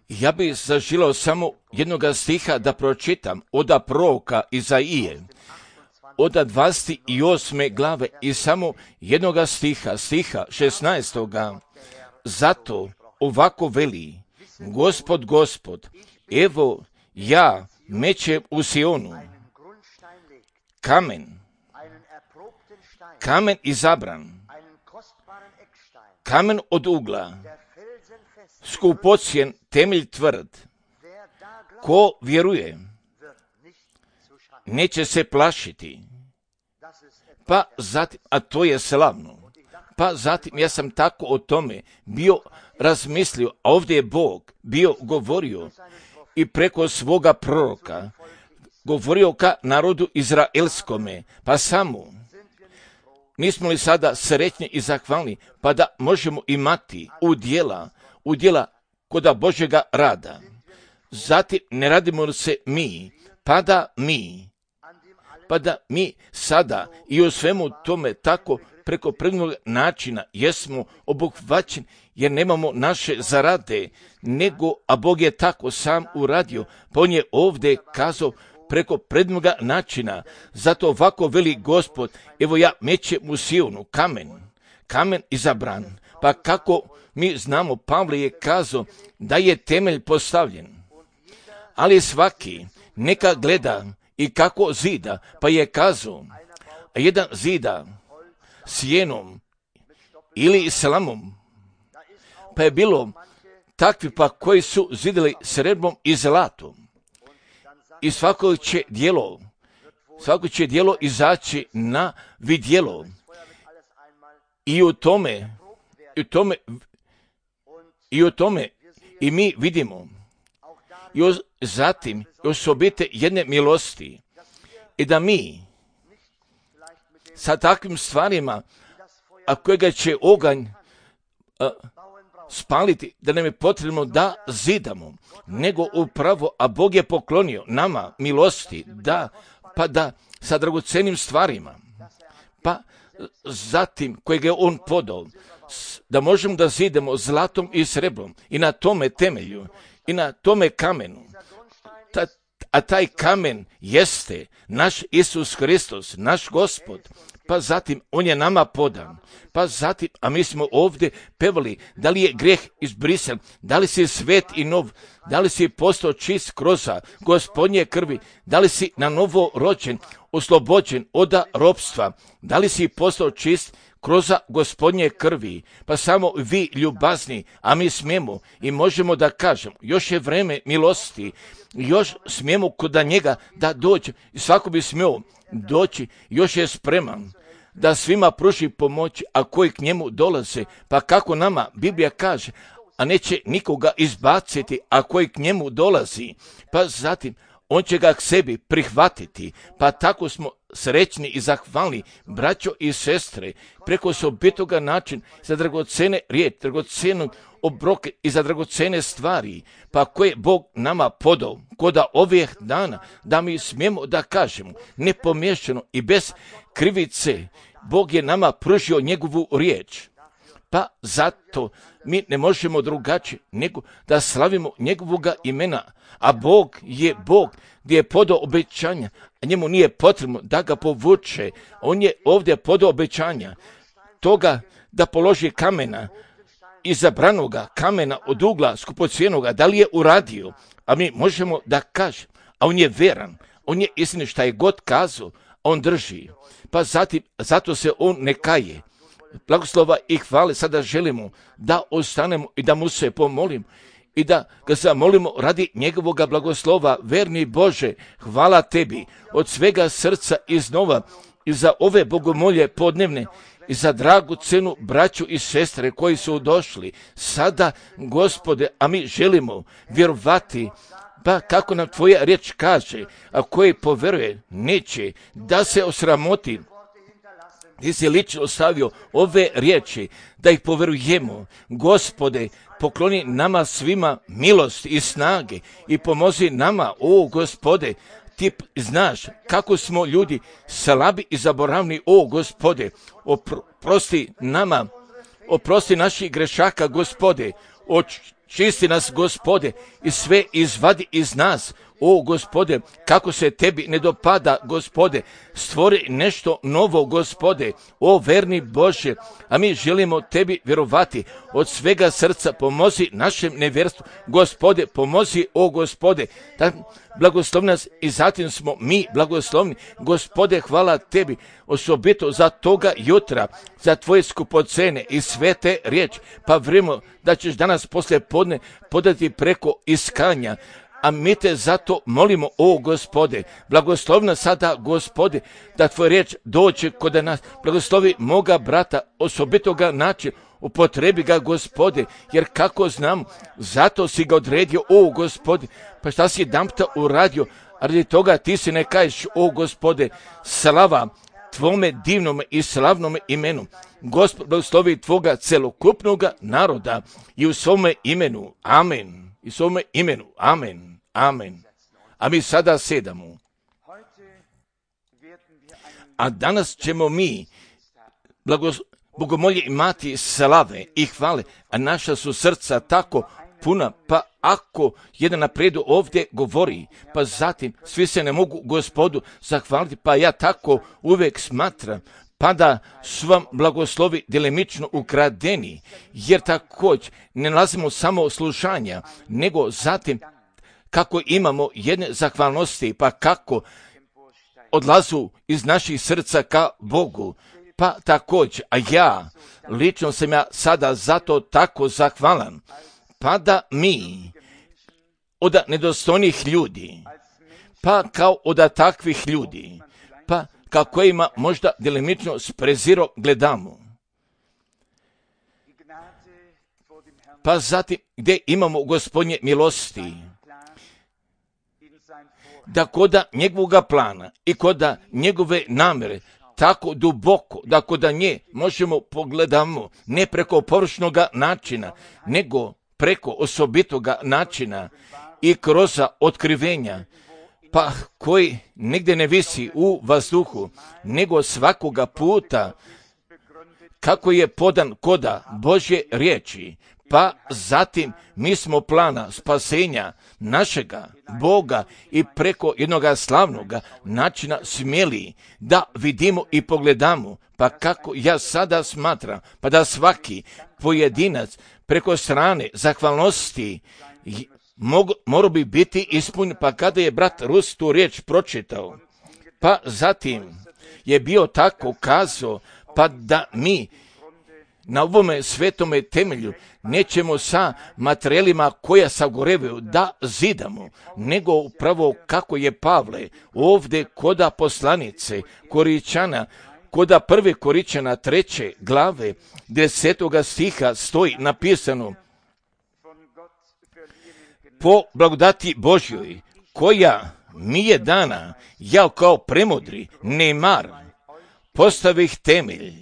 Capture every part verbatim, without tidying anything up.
Ja bih zaželio samo jednoga stiha da pročitam od proroka Izaije, od dvadeset osme glave i samo jednoga stiha, stiha šesnaestoga. Zato ovako veli Gospod, Gospod, evo ja mećem u Sionu kamen, kamen izabran, kamen od ugla, skupocjen, temelj tvrd. Ko vjeruje, neće se plašiti. Pa zatim, a to je slavno. Pa zatim, ja sam tako o tome bio razmislio, a ovdje je Bog bio govorio i preko svoga proroka govorio ka narodu izraelskome, pa samo nismo li sada sretni i zahvalni, pa da možemo imati udjela, udjela koda Božjega rada. Zatim ne radimo se mi, pa da mi, pa da mi sada i u svemu tome tako preko prednog načina jesmo obuhvaćeni, jer nemamo naše zarade, nego, a Bog je tako sam uradio, pa on je ovdje kazao preko prednoga načina. Zato ovako veli Gospod, evo ja mećem u Sionu kamen, kamen izabran. Pa kako mi znamo, Pavle je kazao da je temelj postavljen, ali svaki neka gleda i kako zida, pa je kazao, a jedan zida sjenom ili slamom, pa je bilo takvi pa koji su zidali srebrnom i zlatom. I svako će djelo, svako će djelo izaći na vidjelo. I u tome, i u tome, i u tome, i mi vidimo, i o, zatim osobite jedne milosti, i da mi sa takvim stvarima, a kojega će oganj a, spaliti, da nam je potrebno da zidamo, nego upravo, a Bog je poklonio nama milosti, da, pa da sa dragocenim stvarima, pa zatim kojeg je on podao, da možemo da zidemo zlatom i sreblom i na tome temelju i na tome kamenu, ta, a taj kamen jeste naš Isus Hristos, naš Gospod. Pa zatim on je nama podan. Pa zatim, a mi smo ovdje pevali, da li je grijeh izbrisan, da li si svet i nov, da li si postao čist kroz Gospodnje krvi, da li si na novo rođen, oslobođen od ropstva, da li si postao čist kroz Gospodnje krvi. Pa samo vi ljubazni, a mi smijemo i možemo da kažemo, još je vreme milosti, još smijemo kod njega da dođe i svako bi smio doći, još je spreman da svima pruži pomoć, a koji k njemu dolaze. Pa kako nama Biblija kaže, a neće nikoga izbaciti, a koji k njemu dolazi. Pa zatim on će ga k sebi prihvatiti. Pa tako smo srećni i zahvalni, braćo i sestre, preko osobitoga načina za dragocene riječi, dragocenu obroke i za dragocene stvari, pa koje Bog nama podao koda ovih dana, da mi smijemo da kažemo nepomiješano i bez krivice, Bog je nama pružio njegovu riječ. Pa zato mi ne možemo drugačije nego da slavimo njegovoga imena, a Bog je Bog gdje je podao obećanja, a njemu nije potrebno da ga povuče. On je ovdje podao obećanja toga da položi kamena, izabranoga kamena od ugla skupocjenoga, da li je uradio, a mi možemo da kažemo, a on je veran, on je istinit, šta je god kazao, on drži. Pa zatim, zato se on ne kaje. Blagoslova i hvale sada želimo da ostanemo i da mu se pomolimo i da ga zamolimo radi njegovoga blagoslova. Verni Bože, hvala tebi od svega srca iznova i za ove bogomolje podnevne i za dragu cenu braću i sestre koji su došli sada, Gospode, a mi želimo vjerovati, pa kako nam tvoja riječ kaže, a koji poveruje neće da se osramoti. Ti si lično ostavio ove riječi da ih poverujemo. Gospode, pokloni nama svima milost i snage i pomozi nama, o Gospode, ti znaš kako smo ljudi slabi i zaboravni, o Gospode, oprosti nama, oprosti naših grešaka, Gospode, čisti nas, Gospode, i sve izvadi iz nas. O, Gospode, kako se tebi ne dopada, Gospode, stvori nešto novo, Gospode, o verni Bože, a mi želimo tebi vjerovati od svega srca. Pomozi našem nevjerstvu, Gospode, pomozi, o Gospode, da blagoslovi nas i zatim smo mi blagoslovni. Gospode, hvala tebi osobito za toga jutra, za tvoje skupocene i svete riječi, pa vrijemo da ćeš danas poslije podne podati preko iskanja. A mi te zato molimo, o Gospode, blagoslovi nas sada, Gospode, da tvoj riječ dođe kod nas. Blagoslovi moga brata, osobitoga načina, upotrebi ga, Gospode, jer kako znam, zato si ga odredio, o Gospode, pa šta si jedanputa uradio, a radi toga ti si ne kažeš, o Gospode, slava tvome divnom i slavnom imenu. Gospod, blagoslovi tvoga celokupnoga naroda i u svome imenu, amen, i u svome imenu, amen. Amen. A mi sada sedamo. A danas ćemo mi blagos, bogomolje imati slave i hvale, a naša su srca tako puna, pa ako jedan napredu ovdje govori, pa zatim svi se ne mogu Gospodu zahvaliti, pa ja tako uvijek smatram, pa da su vam blagoslovi delimično ukradeni, jer također ne nalazimo samo slušanja, nego zatim kako imamo jedne zahvalnosti, pa kako odlazu iz naših srca ka Bogu, pa također, a ja, lično sam ja sada zato tako zahvalan, pa da mi od nedostojnih ljudi, pa kao od takvih ljudi, pa kako ima možda delimično s prezirom gledamo. Pa zatim gdje imamo Gospodnje milosti, da koda njegovoga plana i koda njegove namjere tako duboko, da koda nje možemo pogledamo ne preko površnoga načina, nego preko osobitoga načina i kroz otkrivenja, pa koji negdje ne visi u vazduhu, nego svakoga puta kako je podan koda Božje riječi, pa zatim mi smo plana spasenja našega Boga i preko jednoga slavnoga načina smjeli da vidimo i pogledamo, pa kako ja sada smatram, pa da svaki pojedinac preko strane zahvalnosti morao bi biti ispunjen, pa kada je brat Rus tu riječ pročitao, pa zatim je bio tako kazao, pa da mi na ovome svetome temelju nećemo sa materijalima koja sagorevaju da zidamo, nego upravo kako je Pavle ovdje koda poslanice Koričana, koda prve Koričana treće glave desetoga stiha stoji napisano: po blagodati Božjoj koja mi je dana, ja kao premudri nemar postavih temelj,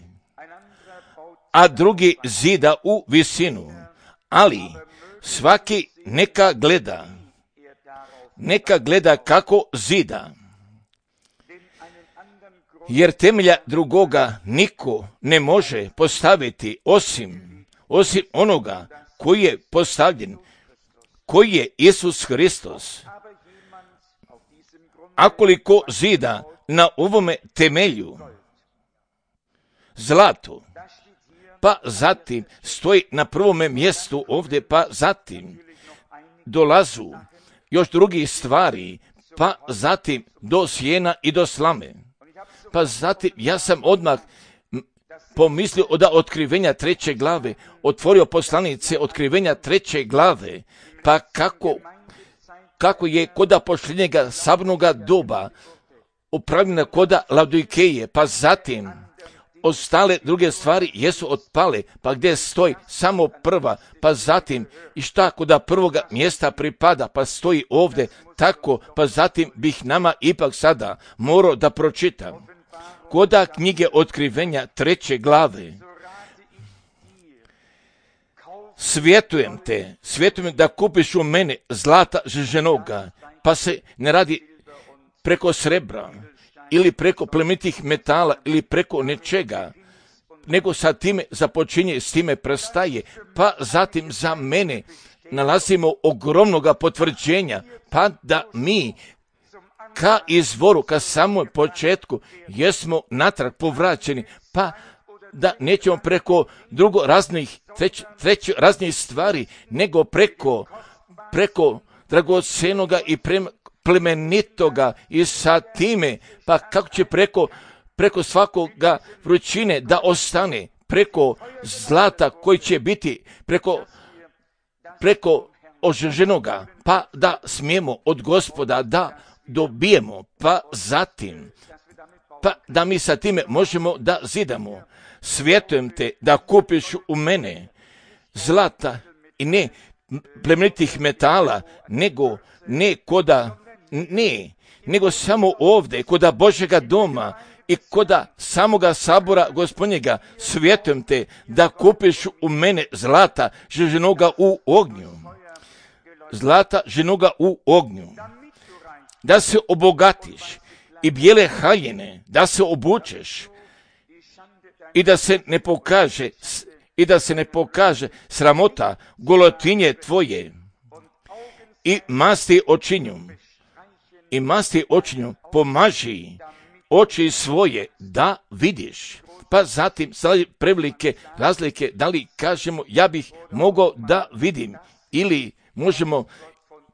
a drugi zida u visinu, ali svaki neka gleda, neka gleda kako zida, jer temelja drugoga niko ne može postaviti osim, osim onoga koji je postavljen, koji je Isus Hristos. Akoliko zida na ovome temelju zlato, pa zatim stoji na prvome mjestu ovdje, pa zatim dolazu još drugih stvari, pa zatim do sjena i do slame. Pa zatim ja sam odmah pomislio da otkrivenja treće glave, otvorio poslanice otkrivenja treće glave, pa kako, kako je koda posljednjega sabnoga doba upravljena koda Laodikeje, pa zatim ostale druge stvari jesu otpale, pa gdje stoji samo prva, pa zatim i šta koda prvoga mjesta pripada, pa stoji ovdje tako, pa zatim bih nama ipak sada morao da pročitam. Koda knjige otkrivenja treće glave, svjetujem te, svjetujem da kupiš u mene zlata žeženoga, pa se ne radi preko srebra, ili preko plemenitih metala, ili preko nečega, nego sa time započinje, s time prestaje, pa zatim za mene nalazimo ogromnoga potvrđenja, pa da mi ka izvoru, ka samom početku, jesmo natrag povraćeni, pa da nećemo preko drugo raznih, treć, treć raznih stvari, nego preko, preko dragocenoga i plemenitoga i sa time, pa kako će preko, preko svakoga vrućine da ostane, preko zlata koji će biti, preko, preko ožeženoga, pa da smijemo od Gospoda da dobijemo, pa zatim, pa da mi sa time možemo da zidamo. Svjetujem te da kupiš u mene zlata i ne plemenitih metala, nego ne koda, ne, nego samo ovdje, koda Božjega doma i koda samoga sabora Gospodnjega. Svjetujem te da kupiš u mene zlata ženoga u ognju. Zlata ženoga u ognju. Da se obogatiš i bijele haljine, da se obučeš i da se ne pokaže i da se ne pokaže sramota golotinje tvoje i masti očinju i masti očinju pomaži oči svoje da vidiš. Pa zatim sad prevelike razlike, da li kažemo ja bih mogao da vidim ili možemo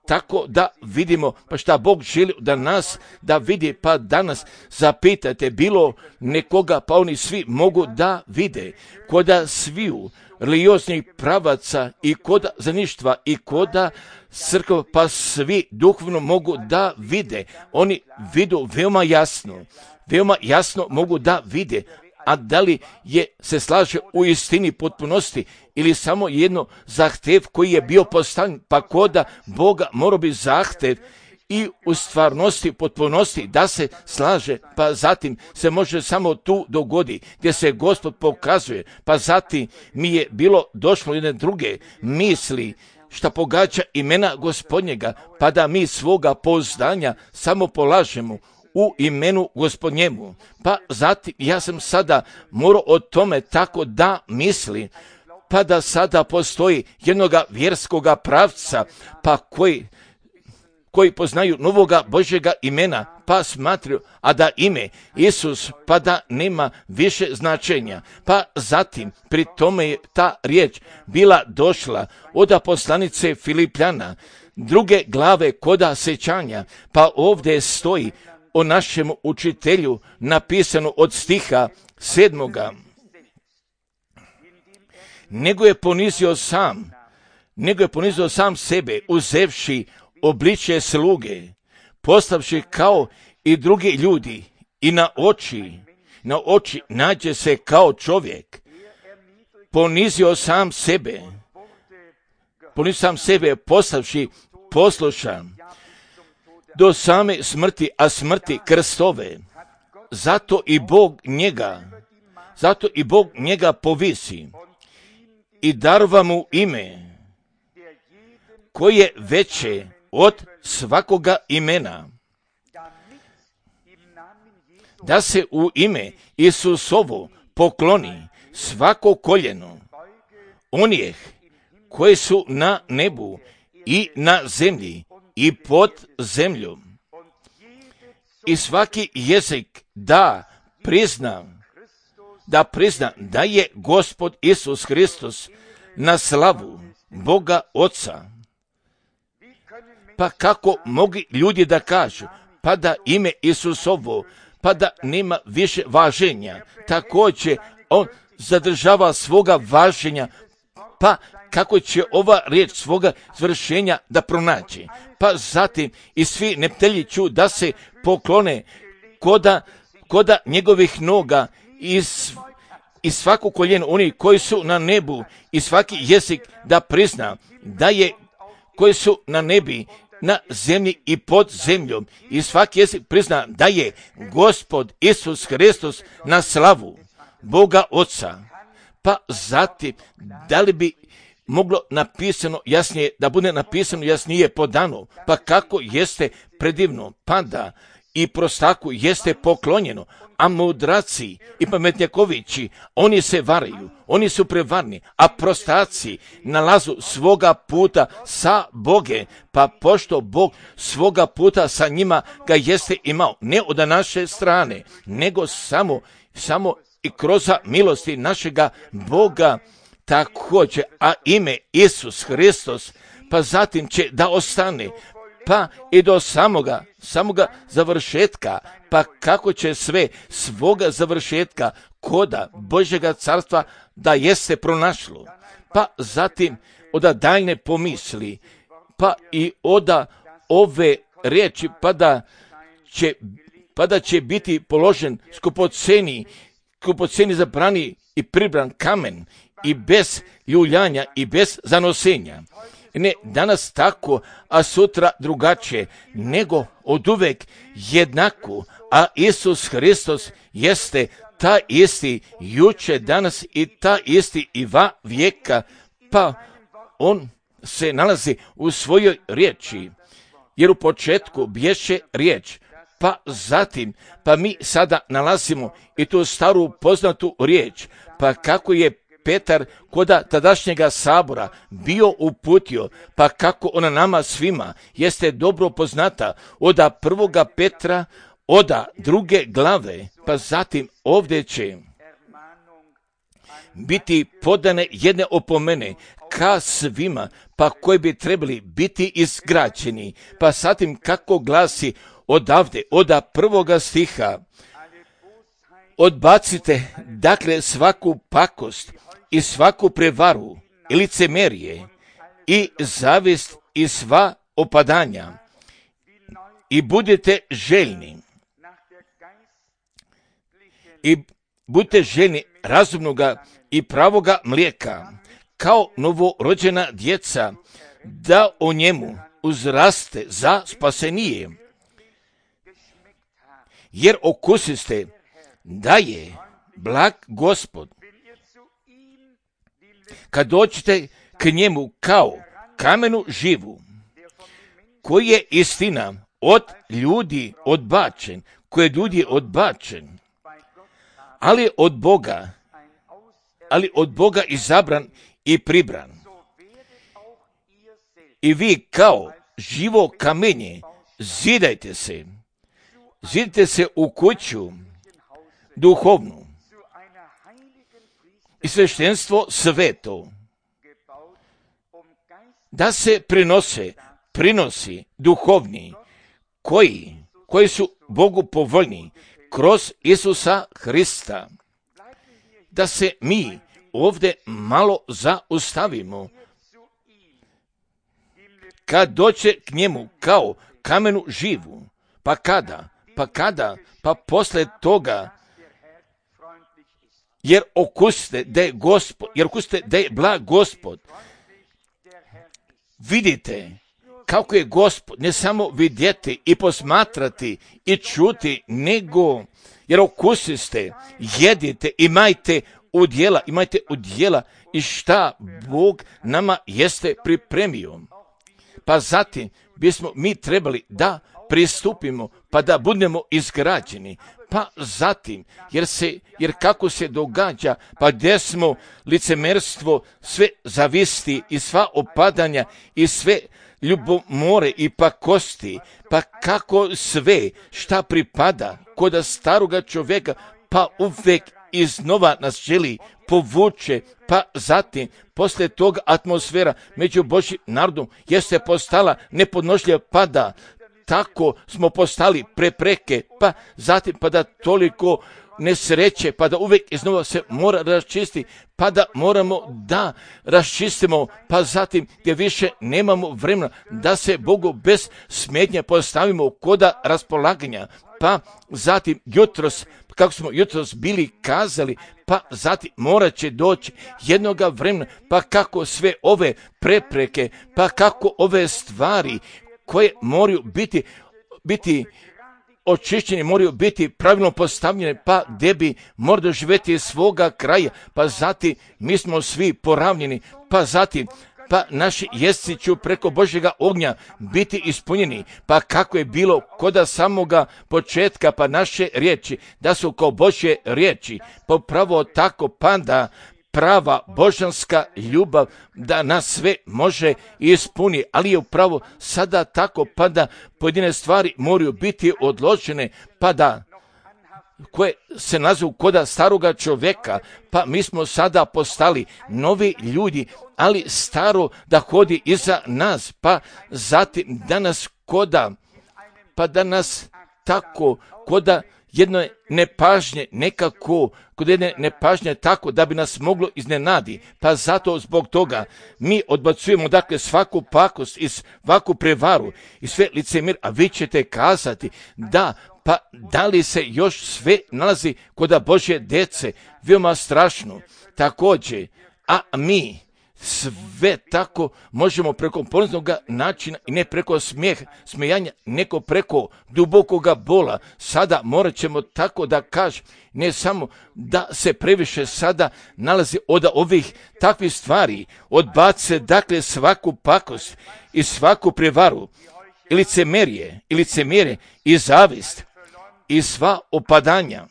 tako da vidimo, pa šta Bog želi da nas da vidi, pa danas zapitajte bilo nekoga, pa oni svi mogu da vide, koda sviju religioznih pravaca i koda zaništva i koda crkva, pa svi duhovno mogu da vide, oni vidu veoma jasno, veoma jasno mogu da vide, a da li je se slaže u istini potpunosti ili samo jedno zahtev koji je bio postavljen, pa koda Boga mora biti zahtev i u stvarnosti, potpunosti da se slaže, pa zatim se može samo tu dogodi gdje se Gospod pokazuje, pa zatim mi je bilo došlo jedne druge misli šta pogađa imena Gospodnjega, pa da mi svoga pouzdanja samo polažemo u imenu Gospodnjemu. Pa zatim ja sam sada morao o tome tako da misli, pa da sada postoji jednoga vjerskoga pravca, pa koji, koji poznaju novoga Božjega imena, pa smatraju, a da ime Isus, pa da nema više značenja. Pa zatim, pri tome je ta riječ bila došla od poslanice Filipljana, druge glave koda sećanja, pa ovdje stoji o našem učitelju napisano od stiha sedmoga. Nego je ponizio sam, nego je ponizio sam sebe, uzevši obličje sluge, postavši kao i drugi ljudi i na oči, na oči nađe se kao čovjek. Ponizio sam sebe, ponizio sam sebe, postavši poslušan do same smrti, a smrti krstove. Zato i Bog njega, zato i Bog njega povisi i darva mu ime koje je veće od svakoga imena, da se u ime Isusovo pokloni svako koljeno onih koji su na nebu i na zemlji i pod zemljom, i svaki jezik da prizna, da prizna da je Gospod Isus Hristos na slavu Boga Oca. Pa kako mogu ljudi da kažu, pa da ime Isusovo, pa da nema više važenja, također on zadržava svoga važenja, pa kako će ova riječ svoga zvršenja da pronaći. Pa zatim i svi neptelji ću da se poklone koda, koda njegovih noga i, i svaku koljenu oni koji su na nebu i svaki jezik da prizna da je koji su na nebi, na zemlji i pod zemljom, i svaki jezik prizna da je Gospod Isus Hristos na slavu Boga Oca. Pa zatim, da li bi moglo napisano jasnije, da bude napisano jasnije podano, pa kako jeste predivno, pa da i prostaku jeste poklonjeno, a mudraci i pametnjakovići, oni se varaju, oni su prevarni, a prostaci nalazu svoga puta sa Boge, pa pošto Bog svoga puta sa njima ga jeste imao, ne od naše strane, nego samo, samo i kroz milosti našega Boga također, a ime Isus Hristos, pa zatim će da ostane, pa i do samoga, samoga završetka, pa kako će sve svoga završetka koda Božjega carstva da jeste pronašlo, pa zatim oda daljne pomisli, pa i oda ove riječi, pa da će, pa da će biti položen skupoceni, skupoceni zabrani i pribran kamen i bez ljuljanja i bez zanosenja. Ne danas tako, a sutra drugačije, nego oduvek jednako, a Isus Hristos jeste ta isti juče, danas i ta isti i va vijeka, pa on se nalazi u svojoj riječi, jer u početku bješe riječ, pa zatim, pa mi sada nalazimo i tu staru poznatu riječ, pa kako je Petar koda tadašnjega sabora bio uputio, pa kako ona nama svima jeste dobro poznata, oda prvoga Petra, oda druge glave, pa zatim ovdje će biti podane jedne opomene ka svima, pa koji bi trebali biti izgrađeni, pa zatim kako glasi odavde, oda prvoga stiha, odbacite dakle svaku pakost i svaku prevaru i licemerije i zavist i sva opadanja i budite željni i budite željni razumnoga i pravoga mlijeka kao novorođena djeca, da o njemu uzraste za spasenije, jer okusiste da je blag Gospod. Kad dođete k njemu kao kamenu živu, koji je istina od ljudi odbačen, koji je ljudi odbačen, ali od Boga, ali od Boga izabran i pribran. I vi kao živo kamenje zidajte se, zidajte se u kuću duhovnu i sveštenstvo sveto, da se prinose, prinosi duhovni, koji, koji su Bogu povoljni, kroz Isusa Hrista. Da se mi ovdje malo zaustavimo. Kad doće k njemu kao kamenu živu, pa kada, pa kada, pa posle toga, jer okusite da je Gospod, jer okusite da je blag Gospod. Vidite kako je Gospod, ne samo vidjeti i posmatrati i čuti, nego jer okusiste, jedite, imajte udjela, imajte udjela i šta Bog nama jeste pripremio. Pa zatim bismo mi trebali da pristupimo, pa da budemo izgrađeni. Pa zatim, jer, se, jer kako se događa, pa gdje smo licemerstvo, sve zavisti i sva opadanja i sve ljubomore i pakosti, pa kako sve šta pripada koda staroga čovjeka, pa uvijek iznova nas želi povuče, pa zatim poslije toga atmosfera među Božjim narodom jeste postala nepodnošljiva, pa da tako smo postali prepreke, pa zatim pa da toliko nesreće, pa da uvijek iznova se mora raščisti, pa da moramo da raščistimo, pa zatim gdje više nemamo vremena da se Bogu bez smetnje postavimo koda raspolaganja, pa zatim jutros, kako smo jutros bili kazali, pa zatim morat će doći jednoga vremena, pa kako sve ove prepreke, pa kako ove stvari koje moraju biti, biti očišćeni, moraju biti pravilno postavljene, pa gdje bi mora doživjeti svoga kraja, pa zatim mi smo svi poravnjeni, pa zatim pa naši jezici će preko Božjega ognja biti ispunjeni, pa kako je bilo koda samoga početka, pa naše riječi da su kao Božje riječi, pa pravo tako panda prava božanska ljubav da nas sve može ispuni, ali je upravo sada tako pa da pojedine stvari moraju biti odložene, pa da koje se nazovu koda staroga čovjeka, pa mi smo sada postali novi ljudi, ali staro da hodi iza nas, pa zatim danas koda, pa da nas tako koda jedno nepažnje nekako, kod jedne nepažnje tako da bi nas moglo iznenadi, pa zato zbog toga mi odbacujemo dakle svaku pakost i svaku prevaru i sve licemir, a vi ćete kazati da, pa da li se još sve nalazi kod Božje djece, veoma strašno, također, a mi sve tako možemo preko poniznog načina i ne preko smijeh, smijanja, neko preko dubokoga bola. Sada morat ćemo tako da kažem, ne samo da se previše sada nalazi od ovih takvih stvari, odbace dakle svaku pakost i svaku prevaru, i licemerje, i licemjerje, i zavist, i sva opadanja.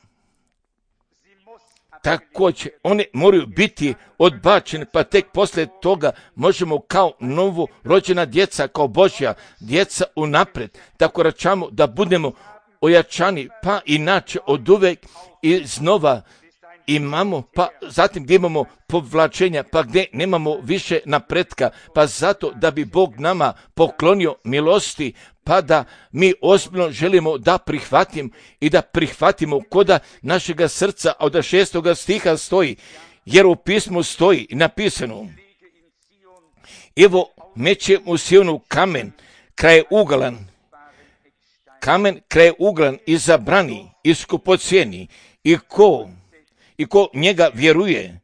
Također, one moraju biti odbačene, pa tek poslije toga možemo kao novo rođena djeca, kao Božja djeca unaprijed, tako račamo da budemo ojačani, pa inače od uvek i znova imamo, pa zatim gdje imamo povlačenja, pa gdje nemamo više napretka, pa zato da bi Bog nama poklonio milosti, pa da mi ozbiljno želimo da prihvatimo i da prihvatimo koda našega srca, a od šestoga stiha stoji, jer u pismu stoji napisano, evo mećem u Sionu kamen kraj uglan, kamen kraj uglan i zabrani i skupocjeni, i ko i ko njega vjeruje,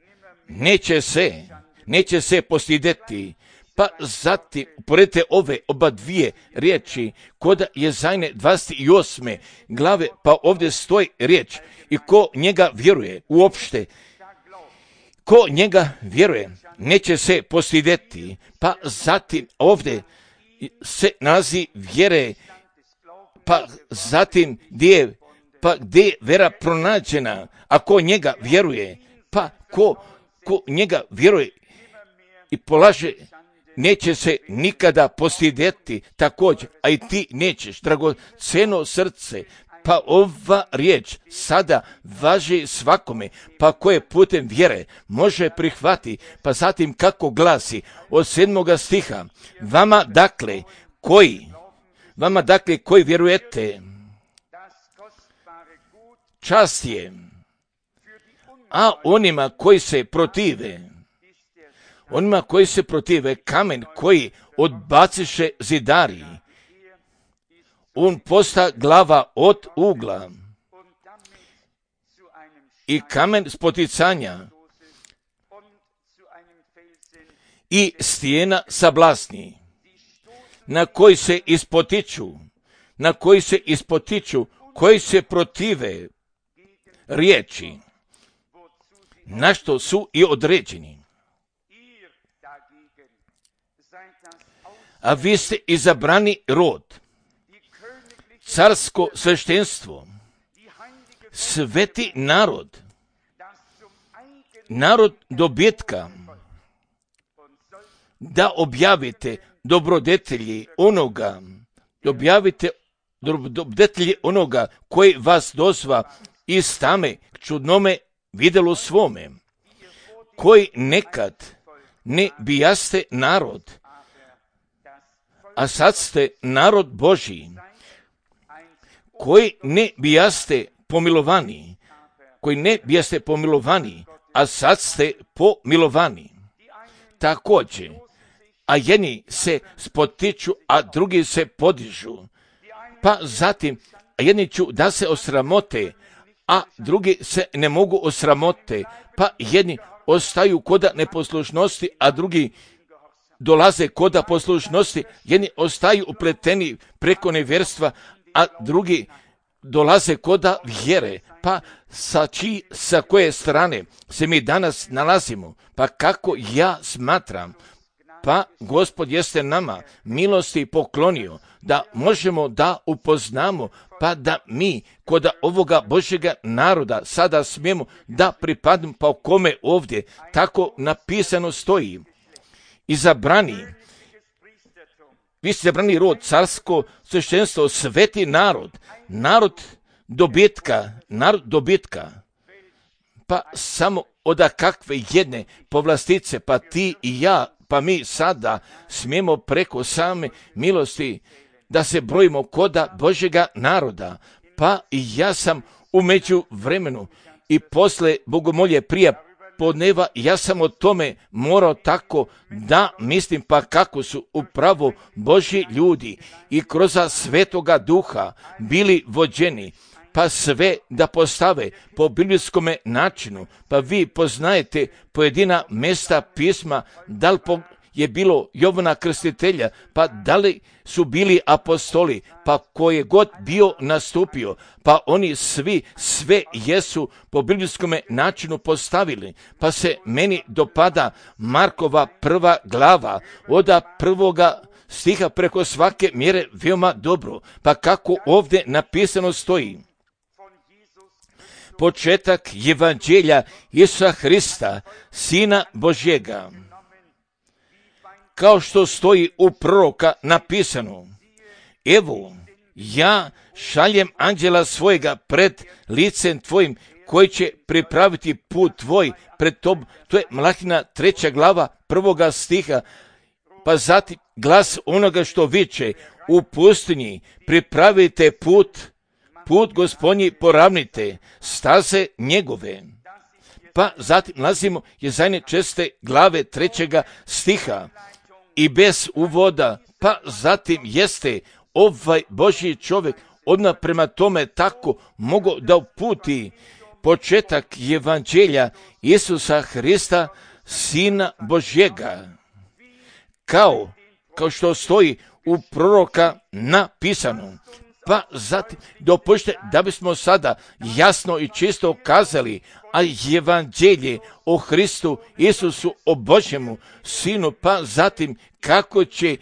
neće se, neće se postideti. Pa zatim, uporedite ove oba dvije riječi, kod Jezajne dvadeset osme glave, pa ovdje stoji riječ, i ko njega vjeruje, uopšte, ko njega vjeruje, neće se postideti. Pa zatim, ovdje se nalazi vjere, pa zatim gdje pa gdje je vera pronađena, a ko njega vjeruje, pa ko, ko njega vjeruje i polaže, neće se nikada postideti, također, a i ti nećeš, dragoceno srce, pa ova riječ sada važi svakome, pa koje putem vjere može prihvati, pa zatim kako glasi od sedmoga stiha, vama dakle koji, vama dakle koji vjerujete, čast je, a onima koji se protive, onima koji se protive, kamen koji odbaciše zidari, on posta glava od ugla i kamen spoticanja i stijena sablasni, na koji se ispotiču, na koji se ispotiču, koji se protive riječi, na što su i određeni. A vi ste izabrani rod, carsko sveštenstvo, sveti narod, narod dobitka, da objavite dobrodetelji onoga, objavite dobrodetelji onoga koji vas dozva iz tame čudnome vidjelo svome, koji nekad ne bijaste narod, a sad ste narod Božji, koji ne bijaste pomilovani, koji ne bijaste pomilovani, a sad ste pomilovani. Također, a jedni se spotiču, a drugi se podižu, pa zatim, a jedni ću da se osramote, a drugi se ne mogu osramote, pa jedni ostaju koda neposlušnosti, a drugi dolaze koda poslušnosti, jedni ostaju upleteni preko nevjerstva, a drugi dolaze koda vjere. Pa sa, či, sa koje strane se mi danas nalazimo? Pa kako ja smatram, pa Gospod jeste nama milosti poklonio da možemo da upoznamo, pa da mi kod ovoga Božjega naroda sada smijemo da pripadnemo, pa o kome ovdje tako napisano stoji. Izabrani, vi ste izabrani rod, carsko sveštenstvo, sveti narod, narod dobitka, narod dobitka, pa samo od kakve jedne povlastice, pa ti i ja, pa mi sada smijemo preko same milosti da se brojimo koda Božjega naroda, pa i ja sam u međuvremenu i posle bogomolje prije podneva, ja sam o tome morao tako da mislim, pa kako su upravo Božji ljudi i kroz Svetoga Duha bili vođeni, pa sve da postave po biblijskome načinu, pa vi poznajete pojedina mjesta pisma, da li po je bilo Jovana Krstitelja, pa da li su bili apostoli, pa ko je god bio nastupio, pa oni svi sve jesu po biblijskome načinu postavili, pa se meni dopada Markova prva glava, od prvoga stiha preko svake mjere veoma dobro, pa kako ovdje napisano stoji. Početak evanđelja Isusa Hrista, Sina Božjega, kao što stoji u proroka napisano: evo, ja šaljem anđela svojega pred licem tvojim, koji će pripraviti put tvoj pred tobom. To je Malahina treća glava prvoga stiha. Pa zatim glas onoga što viče u pustinji: pripravite put, put Gospodnji poravnite, staze njegove. Pa zatim nalazimo Jezajne česte glave trećega stiha. I bez uvoda, pa zatim jeste ovaj Božji čovjek odmah prema tome tako mogao da uputi početak evanđelja Isusa Hrista, Sina Božjega, kao, kao što stoji u proroka napisano. Pa zatim dopušte da bismo sada jasno i čisto kazali, a evanđelje o Hristu Isusu, o Božjemu Sinu, pa zatim kako će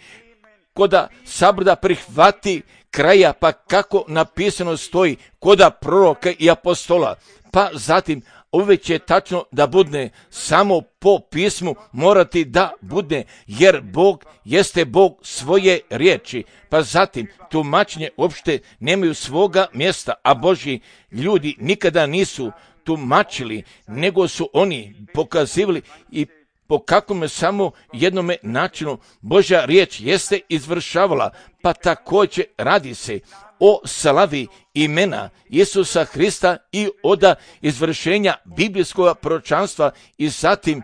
koda sabrda prihvati kraja, pa kako napisano stoji koda proroka i apostola, pa zatim uvijek će tačno da bude samo po pismu morati da bude, jer Bog jeste Bog svoje riječi, pa zatim tumačenje uopšte nemaju svoga mjesta, a Božji ljudi nikada nisu tumačili, nego su oni pokazivali i po kakvom samo jednome načinu Božja riječ jeste izvršavala, pa također radi se o slavi imena Isusa Hrista i od izvršenja biblijskog proročanstva i zatim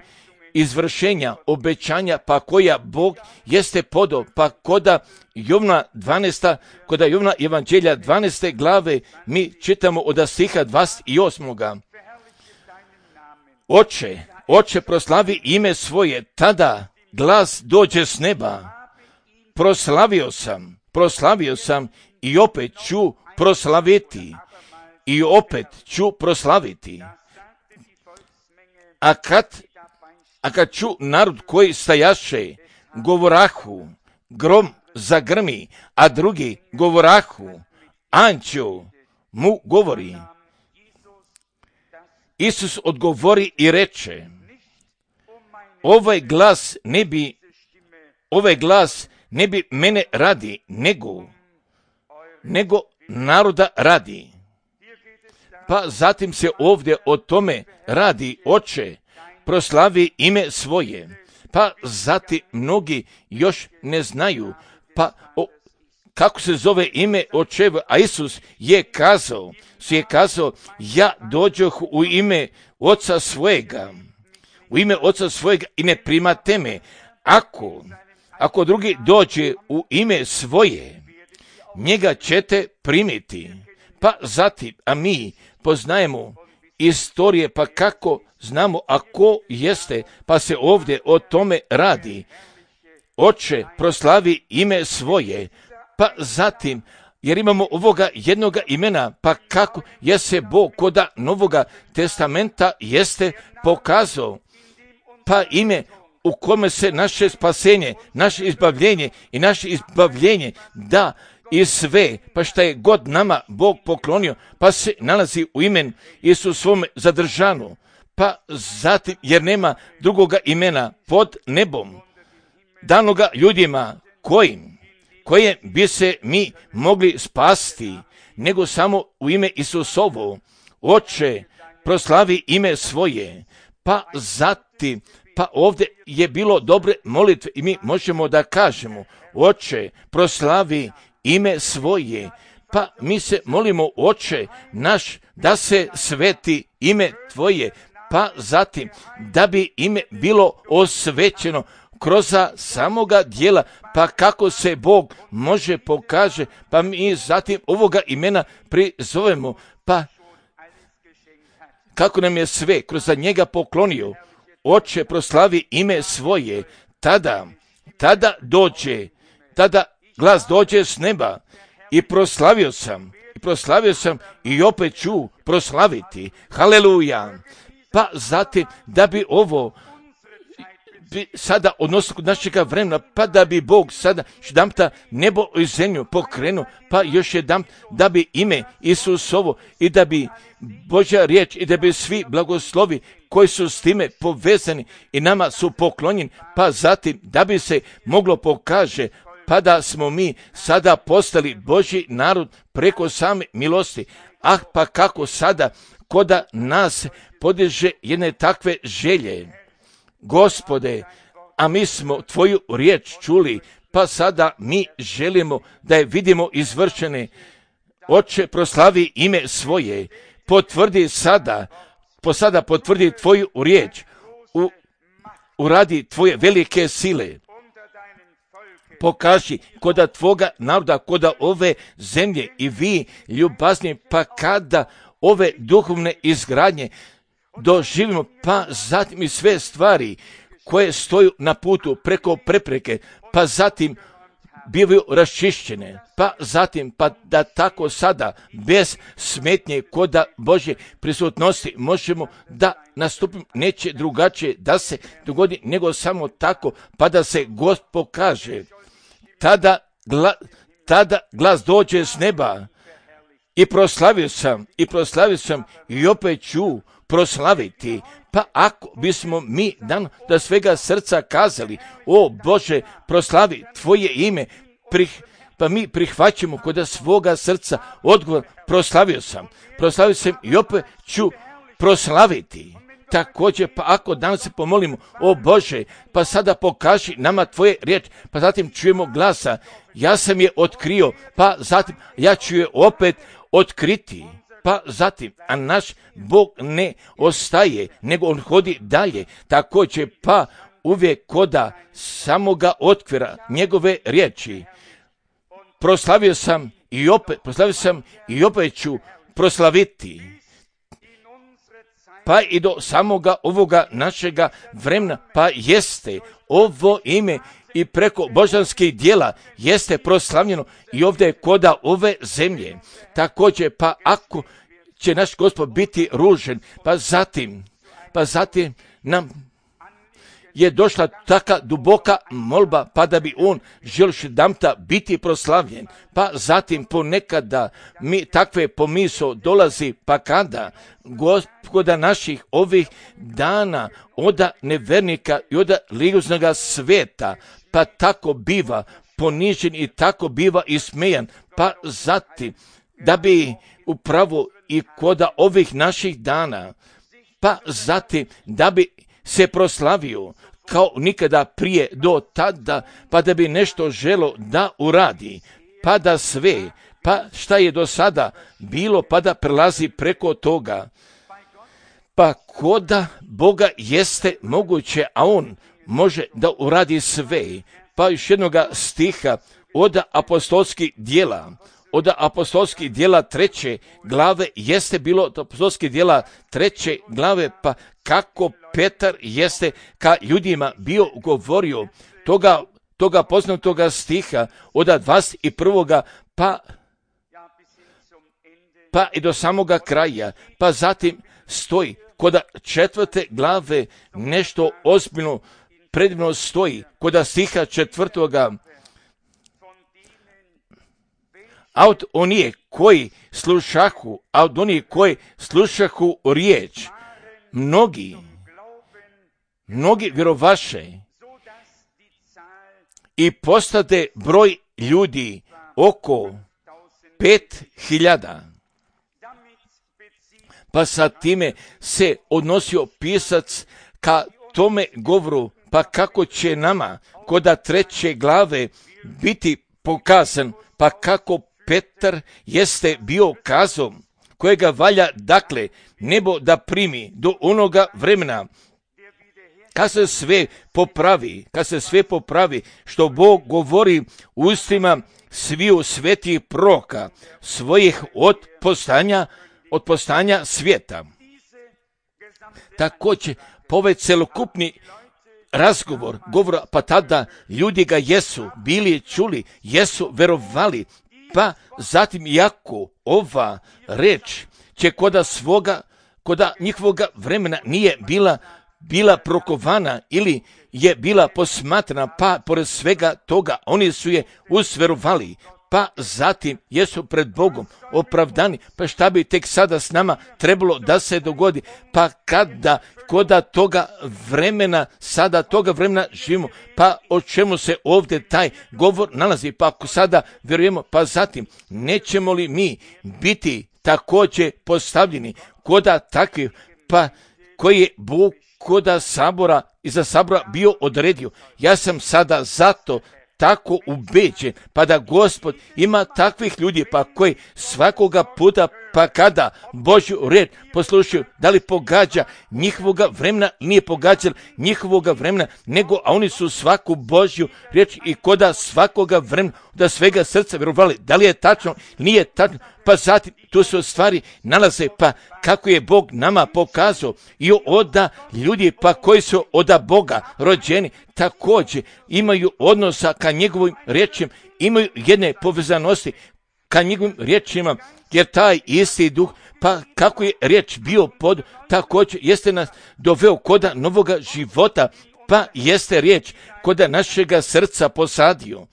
izvršenja obećanja, pa koja Bog jeste podao, pa koda Jovna dvanaesta, koda Jovna evanđelja dvanaeste glave mi čitamo od stiha dvadeset osam. Oče, Oče, proslavi ime svoje, tada glas dođe s neba. Proslavio sam, proslavio sam i opet ću proslaviti, i opet ću proslaviti. A kad, a kad ću narod koji stajaše, govorahu, grom zagrmi, a drugi govorahu, anđeo mu govori. Isus odgovori i reče: ovaj glas ne bi, ovaj glas ne bi mene radi, nego, nego naroda radi. Pa zatim se ovdje o tome radi: Oče, proslavi ime svoje. Pa zatim mnogi još ne znaju, pa o, kako se zove ime Očevo, a Isus je kazao, je kazao, ja dođoh u ime Oca svojega, u ime Oca svojega i ne primate me. Ako, ako drugi dođe u ime svoje, njega ćete primiti. Pa zatim, a mi poznajemo istorije, pa kako znamo, a ko jeste, pa se ovdje o tome radi. Oče, proslavi ime svoje, pa zatim, jer imamo ovoga jednoga imena, pa kako je se Bog koda Novoga testamenta jeste pokazao, pa ime u kome se naše spasenje, naše izbavljenje i naše izbavljenje da i sve, pa šta je god nama Bog poklonio, pa se nalazi u imenu Isusovome zadržano, pa zatim, jer nema drugoga imena pod nebom, danoga ljudima kojim, koje bi se mi mogli spasti, nego samo u ime Isusovo. Oče, proslavi ime svoje, pa zatim, pa ovdje je bilo dobre molitve i mi možemo da kažemo, Oče, proslavi ime svoje, pa mi se molimo, Oče naš, da se sveti ime Tvoje, pa zatim da bi ime bilo osvećeno kroz samoga dijela, pa kako se Bog može pokaže, pa mi zatim ovoga imena prizovemo, pa kako nam je sve kroz njega poklonio. Oče, proslavi ime svoje, tada, tada dođe, tada glas dođe s neba i proslavio sam, i proslavio sam i opet ću proslaviti. Haleluja! Pa zatim da bi ovo bi sada odnosno kod našega vremena, pa da bi Bog sada jedanputa nebo i zemlju pokrenuo, pa još jedan da bi ime Isusovo i da bi Božja riječ i da bi svi blagoslovi koji su s time povezani i nama su poklonjeni, pa zatim da bi se moglo pokaže, pa da smo mi sada postali Božji narod preko same milosti. Ah, pa kako sada koda nas podiže jedne takve želje. Gospode, a mi smo Tvoju riječ čuli, pa sada mi želimo da je vidimo izvršene. Oče, proslavi ime svoje, potvrdi sada, po sada potvrdi Tvoju riječ, u, uradi Tvoje velike sile. Pokaži koda Tvoga naroda, koda ove zemlje i vi ljubazni, pa kada ove duhovne izgradnje doživimo, pa zatim i sve stvari koje stoju na putu preko prepreke, pa zatim bivaju raščišćene, pa zatim pa da tako sada bez smetnje koda Božje prisutnosti možemo da nastupimo, neće drugačije da se dogodi nego samo tako, pa da se Gost pokaže. Tada, gla, tada glas dođe s neba i proslavio sam, i proslavio sam i opet ću proslaviti. Pa ako bismo mi dan da svega srca kazali, o Bože, proslavi Tvoje ime, prih, pa mi prihvaćamo kod svoga srca odgovor, proslavio sam, proslavio sam i opet ću proslaviti. Također, pa ako danas se pomolimo, o Bože, pa sada pokaži nama Tvoje riječ, pa zatim čujemo glasa, ja sam je otkrio, pa zatim ja ću je opet otkriti. Pa zatim, a naš Bog ne ostaje, nego on hodi dalje. Također, pa uvijek koda samoga otkvira njegove riječi. Proslavio sam i opet, proslavio sam i opet ću proslaviti. Pa i do samoga ovoga našega vremena, pa jeste ovo ime i preko božanskih dijela jeste proslavljeno i ovdje je koda ove zemlje. Također, pa ako će naš Gospod biti ružen, pa zatim, pa zatim nam je došla taka duboka molba, pa da bi on želio jedanputa biti proslavljen. Pa zatim ponekada mi takve pomisao dolazi, pa kada Gospoda naših ovih dana oda nevernika i oda liguznoga sveta, pa tako biva ponižen i tako biva ismejan, pa zatim da bi upravo i koda ovih naših dana, pa zatim da bi se proslavio kao nikada prije do tada, pa da bi nešto želo da uradi, pa da sve, pa šta je do sada bilo, pa da prelazi preko toga. Pa koda Boga jeste moguće, a on može da uradi sve. Pa još jednoga stiha od apostolskih dijela, od apostolskih dijela treće glave jeste bilo od apostolskih dijela treće glave, pa kako Petar jeste ka ljudima bio govorio toga, toga poznatoga stiha od dvadeset prvoga pa, pa i do samoga kraja, pa zatim stoji kod četvrte glave nešto ozbiljno predivno stoji kod stiha četvrtoga. A od onih koji slušahu, a od onih koji slušahu riječ, mnogi, mnogi vjerovaše i postade broj ljudi oko pet hiljada. Pa sa time se odnosio pisac ka tome govoru, pa kako će nama koda treće glave biti pokazan, pa kako Petar jeste bio kazao, kojega valja dakle nebo da primi do onoga vremena, kad se sve popravi, kad se sve popravi, što Bog govori ustima sviju svetih proroka svojih od postanja, od postanja svijeta. Također, po ovaj celokupni razgovor, govora, pa tada ljudi ga jesu bili čuli, jesu verovali, pa zatim jako ova reč će koda svoga, koda njihovoga vremena nije bila bila prokovana ili je bila posmatrana, pa pored svega toga oni su je usverovali, pa zatim jesu pred Bogom opravdani. Pa šta bi tek sada s nama trebalo da se dogodi? Pa kada koda toga vremena, sada toga vremena živimo, pa o čemu se ovdje taj govor nalazi? Pa ako sada vjerujemo, pa zatim nećemo li mi biti također postavljeni koda takvi, pa koji je Bog koda sabora i za sabora bio odredio. Ja sam sada zato tako ubeđen, pa da Gospod ima takvih ljudi, pa koji svakoga puta, pa kada Božju red poslušaju, da li pogađa njihovoga vremena, nije pogađal njihovoga vremena, nego a oni su svaku Božju riječ i koda svakoga vremena da svega srca vjerovali. Da li je tačno, nije tačno, pa zatim tu se stvari nalaze, pa kako je Bog nama pokazao i oda ljudi pa koji su oda Boga rođeni, također imaju odnosa ka njegovim riječima, imaju jedne povezanosti ka njegovim riječima, jer taj isti duh, pa kako je riječ bio pod, također jeste nas doveo koda novoga života, pa jeste riječ koda našega srca posadio.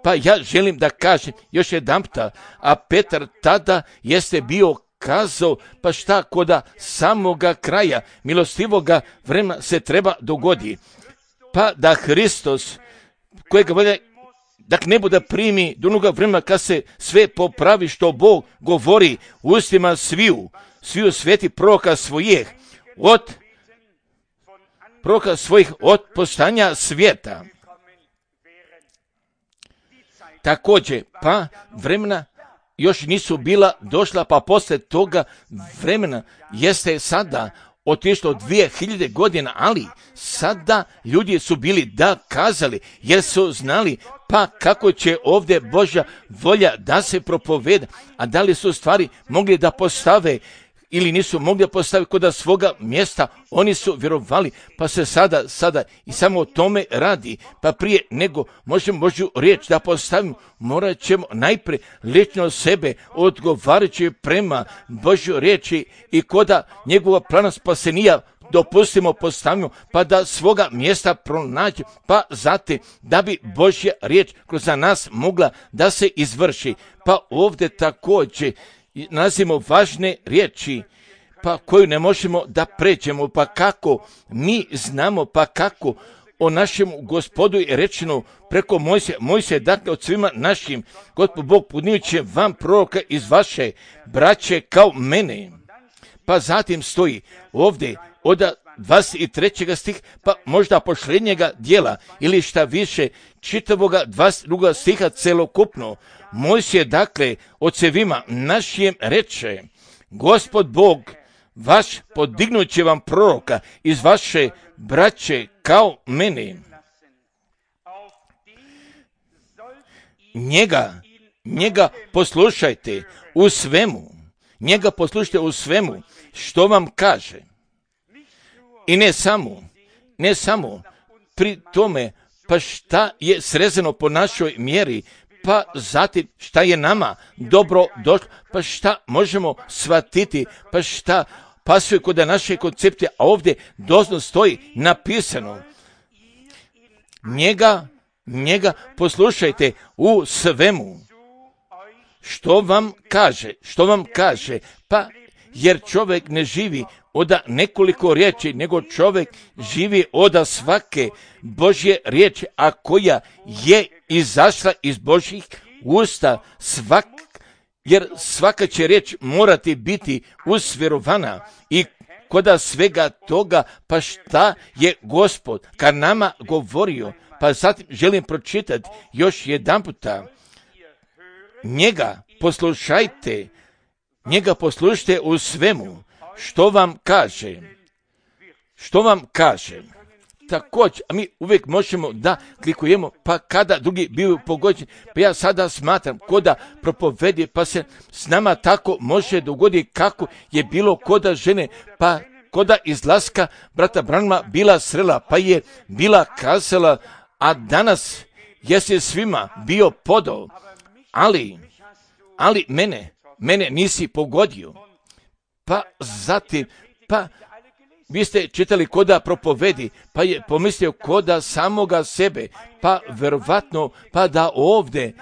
Pa ja želim da kažem još jedanputa, a Petar tada jeste bio kazao, pa šta koda samoga kraja milostivoga vremena se treba dogodi. Pa da Hristos, kojega volja, da ne bude primi do onoga vremena kad se sve popravi što Bog govori u ustima sviju, sviju sveti proroka svojih, od proroka svojih od postanja svijeta. Također, pa vremena još nisu bila došla, pa poslije toga vremena jeste sada otišlo dvije hiljade godina, ali sada ljudi su bili da kazali, jer su znali pa kako će ovdje Božja volja da se propoveda, a da li su stvari mogli da postave ili nisu mogli da postaviti kod svoga mjesta, oni su vjerovali, pa se sada, sada i samo o tome radi, pa prije nego možemo Božju riječ da postavimo, morat ćemo najprije lično sebe odgovarajući prema Božju riječi i koda njegova plana spasenija dopustimo, postavimo, pa da svoga mjesta pronađe, pa zatim da bi Božja riječ kroz nas mogla da se izvrši. Pa ovdje također nalazimo važne riječi, pa koju ne možemo da pređemo, pa kako mi znamo, pa kako o našem Gospodu je rečeno preko Mojsija, Mojsija dakle od svima našim, Gospod Bog podnijuće vam proroka iz vaše braće kao mene. Pa zatim stoji ovdje od dvadeset trećeg stih, pa možda posljednjega dijela ili šta više čitavoga dvadeset drugog stiha celokupno. Mojsije dakle ocevima našim reče, Gospod Bog vaš podignut će vam proroka iz vaše braće kao mene. Njega, njega poslušajte u svemu, njega poslušajte u svemu što vam kaže. I ne samo, ne samo pri tome, pa šta je srezano po našoj mjeri, pa zatim šta je nama dobro došlo, pa šta možemo shvatiti, pa šta pasuje kod naše koncepcije, a ovdje doslovno stoji napisano. njega, njega poslušajte u svemu. Što vam kaže, što vam kaže, pa jer čovjek ne živi od nekoliko riječi, nego čovjek živi od svake Božje riječi, a koja je izašla iz Božjih usta, svak, jer svaka će riječ morati biti usvjerovana i koda svega toga, pa šta je Gospod kad nama govorio, pa zatim želim pročitati još jedan puta. Njega poslušajte, njega poslušajte u svemu, što vam kaže, što vam kaže. Također, a mi uvijek možemo da klikujemo, pa kada drugi bivaju pogođeni, pa ja sada smatram koda propovedi, pa se s nama tako može dogoditi kako je bilo koda žene, pa koda izlaska brata Branhama bila srela, pa je bila kazala, a danas jesi svima bio podao, ali, ali mene, mene nisi pogodio. Pa zatim, pa vi ste čitali koda propovedi, pa je pomislio koda samoga sebe, pa verovatno, pa da ovdje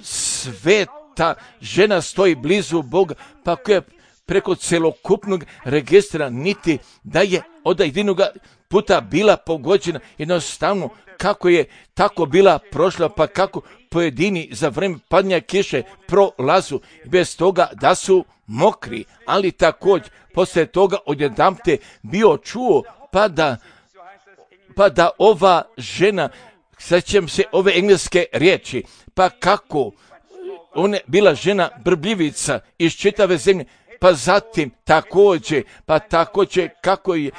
sveta žena stoji blizu Boga, pa koja preko celokupnog registra niti da je od jedinog puta bila pogođena, jednostavno kako je tako bila prošla, pa kako pojedini za vrijeme padanja kiše prolazu bez toga da su mokri, ali također poslije toga odjedanput bio čuo pa da, pa da ova žena, sjećam se ove engleske riječi, pa kako ona bila žena brbljivica iz čitave zemlje, pa zatim također, pa također kako je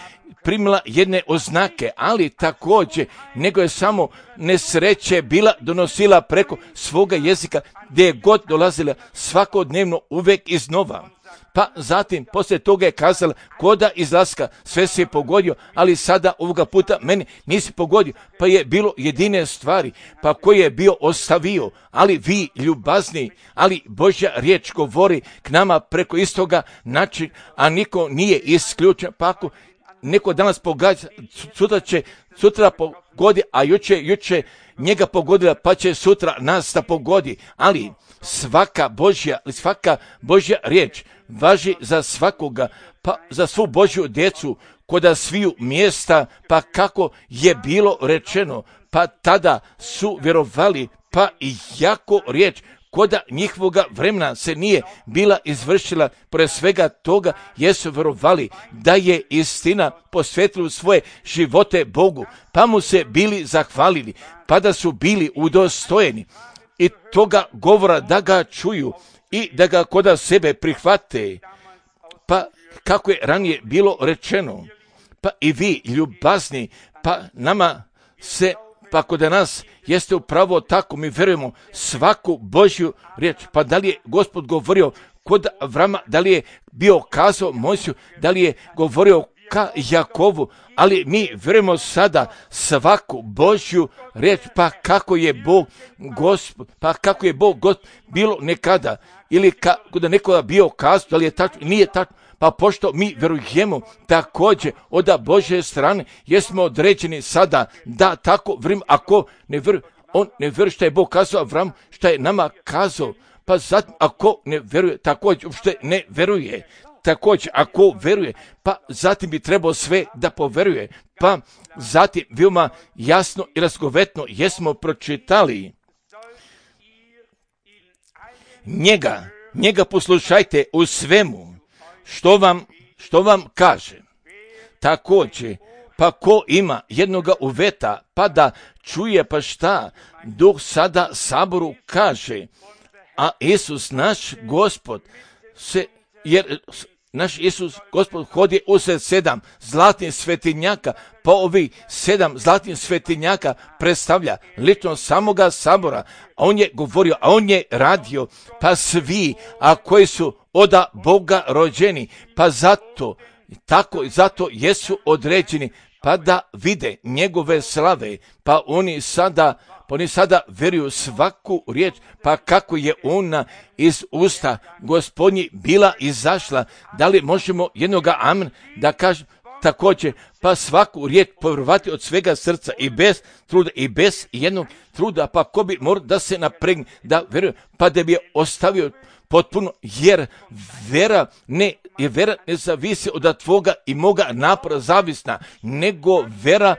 primila jedne oznake, ali također nego je samo nesreće bila donosila preko svoga jezika gdje je god dolazila svakodnevno uvijek iznova. Pa zatim poslije toga je kazala koda izlaska sve se je pogodio, ali sada ovoga puta meni nisi pogodio, pa je bilo jedine stvari pa koje je bio ostavio, ali vi ljubazni, ali Božja riječ govori k nama preko istoga način, a niko nije isključen, pa ako neko danas pogađa, sutra će, sutra pogodi, a juče, juče njega pogodila, pa će sutra nas da pogodi, ali svaka Božja, svaka Božja riječ važi za svakoga, pa za svu Božju djecu, koda sviju mjesta, pa kako je bilo rečeno, pa tada su vjerovali, pa i jako riječ koda njihovoga vremena se nije bila izvršila, pored svega toga jesu vjerovali da je istina posvetila svoje živote Bogu, pa mu se bili zahvalili, pa da su bili udostojeni i toga govora da ga čuju i da ga koda sebe prihvate, pa kako je ranije bilo rečeno, pa i vi ljubazni, pa nama se, pa kod nas jeste upravo tako, mi vjerujemo svaku Božju riječ, pa da li je Gospod govorio kod Avrama, da li je bio kazao Mojsiju, da li je govorio ka Jakovu, ali mi vjerujemo sada svaku Božju riječ, pa kako je Bog Gospod, pa kako je Bog Gospod bilo nekada, ili kako da nekoga bio kazao, da li je tačno, nije tačno, pa pošto mi vjerujemo također od Božje strane, jesmo određeni sada da tako vrim, ako ne vjeruje, on ne vjeruje što je Bog kazao Avram, što je nama kazao, pa zatim ako ne vjeruje, također uopšte ne vjeruje, također ako vjeruje, pa zatim bi trebao sve da poveruje, pa zatim veoma jasno i razgovetno jesmo pročitali. Njega, njega poslušajte u svemu, što vam, što vam kaže. Također, pa ko ima jednoga uveta, pa da čuje pa šta, Duh sada saboru kaže, a Isus naš Gospod se, jer naš Isus Gospod hodi usred sedam zlatnih svetinjaka, pa ovi sedam zlatnih svetinjaka predstavlja lično samoga sabora, a on je govorio, a on je radio, pa svi, a koji su od Boga rođeni, pa zato, tako i zato jesu određeni, pa da vide njegove slave, pa oni sada, pa oni sada vjeruju svaku riječ, pa kako je ona iz usta Gospodnji bila izašla, da li možemo jednoga amen da kažem, također, pa svaku riječ povjerovati od svega srca i bez truda i bez jednog truda, pa ko bi morao da se napregne, da vjeruje, pa da bi je ostavio potpuno, jer vera ne, jer vera ne zavisi od tvoga i moga napora zavisna, nego vera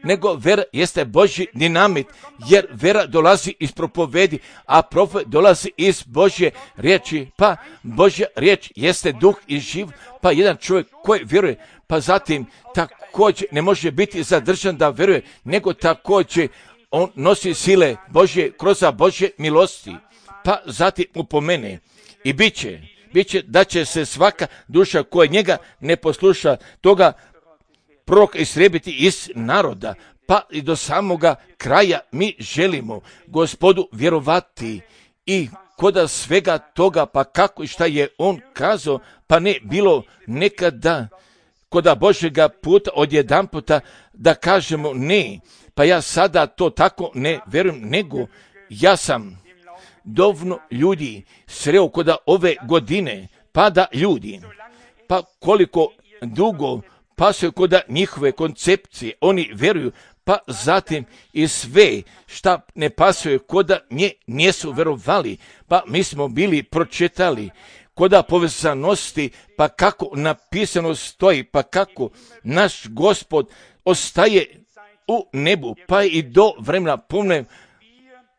nego vera jeste Božji dinamit, jer vera dolazi iz propovedi, a propoved dolazi iz Božje riječi, pa Božja riječ jeste duh i živ, pa jedan čovjek koji vjeruje, pa zatim također ne može biti zadržan da vjeruje, nego također on nosi sile Božje kroz Božje milosti, pa zatim upomene i bit će, bit će da će se svaka duša koja njega ne posluša toga proroka istrijebiti iz naroda, pa i do samoga kraja mi želimo Gospodu vjerovati i koda svega toga, pa kako i šta je on kazao, pa ne bilo nekada koda Božjega puta odjedanputa da kažemo ne, pa ja sada to tako ne vjerujem, nego ja sam dovoljno ljudi sreo koda ove godine, pa da ljudi, pa koliko dugo pasaju koda njihove koncepcije, oni vjeruju, pa zatim i sve šta ne pasuje koda nje nisu vjerovali, pa mi smo bili pročitali koda povezanosti, pa kako napisano stoji, pa kako naš Gospod ostaje u nebu, pa i do vremena pomne,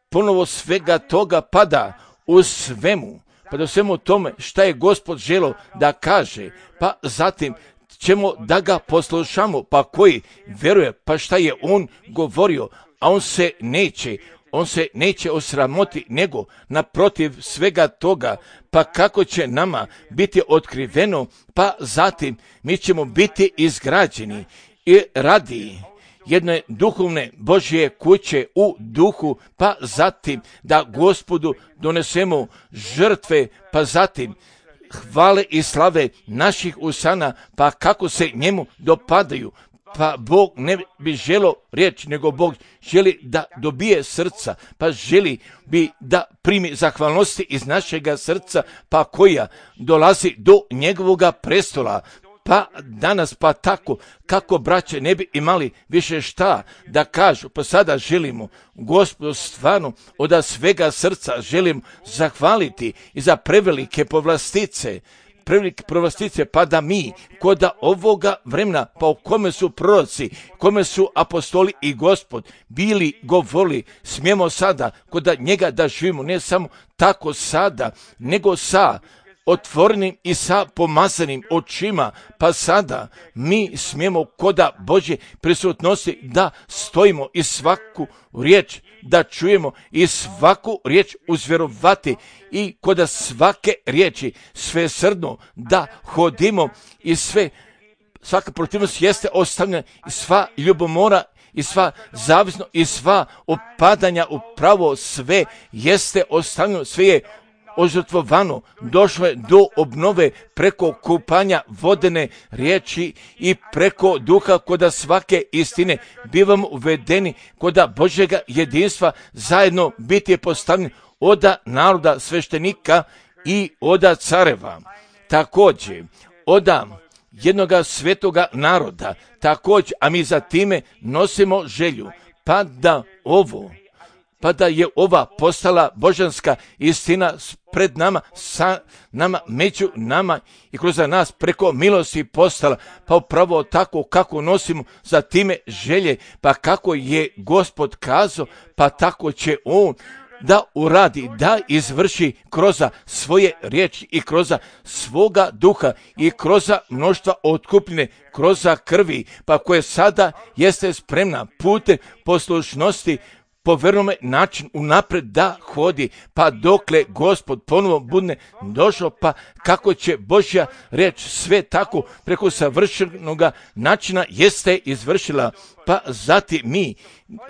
ponovo svega toga pada u svemu, pa do svemu tome šta je Gospod želio da kaže, pa zatim ćemo da ga poslušamo, pa koji vjeruje, pa šta je on govorio, a on se neće, on se neće osramoti, nego naprotiv svega toga, pa kako će nama biti otkriveno, pa zatim mi ćemo biti izgrađeni i radi jedne duhovne Božje kuće u duhu, pa zatim da Gospodu donesemo žrtve, pa zatim hvale i slave naših usana, pa kako se njemu dopadaju, pa Bog ne bi želio riječ, nego Bog želi da dobije srca, pa želi bi da primi zahvalnosti iz našega srca, pa koja dolazi do njegovoga prestola. Pa danas pa tako, kako braće ne bi imali više šta da kažu, pa sada želimo Gospodu stvarno od svega srca želim zahvaliti i za prevelike povlastice, prevelike povlastice, pa da mi kod ovoga vremena, pa u kome su proroci, kome su apostoli i Gospod bili govorili, smijemo sada kod njega da živimo, ne samo tako sada, nego sa otvorenim i sa pomazanim očima, pa sada mi smijemo koda Božje prisutnosti da stojimo i svaku riječ da čujemo i svaku riječ uzvjerovati i koda svake riječi svesrdno da hodimo i sve, svaka protivnost jeste ostavljena i sva ljubomora i sva zavisno i sva opadanja upravo sve jeste ostavljeno, sve je ožrtvovano, došlo je do obnove preko kupanja vodene riječi i preko duha koda svake istine bivamo uvedeni koda Božjega jedinstva, zajedno biti je postavljen oda naroda sveštenika i oda careva. Također, oda jednoga svetoga naroda, također, a mi za time nosimo želju, pa da ovo pa da je ova postala božanska istina pred nama, sa nama, među nama i kroz nas preko milosti postala, pa upravo tako kako nosimo za time želje, pa kako je Gospod kazao, pa tako će on da uradi, da izvrši kroz svoje riječi i kroz svoga duha i kroz mnoštva otkupljene, kroz krvi, pa koje sada jeste spremna putem poslušnosti po vernome način unapred da hodi, pa dokle Gospod ponovo bude došao, pa kako će Božja riječ sve tako preko savršenog načina jeste izvršila, pa zatim mi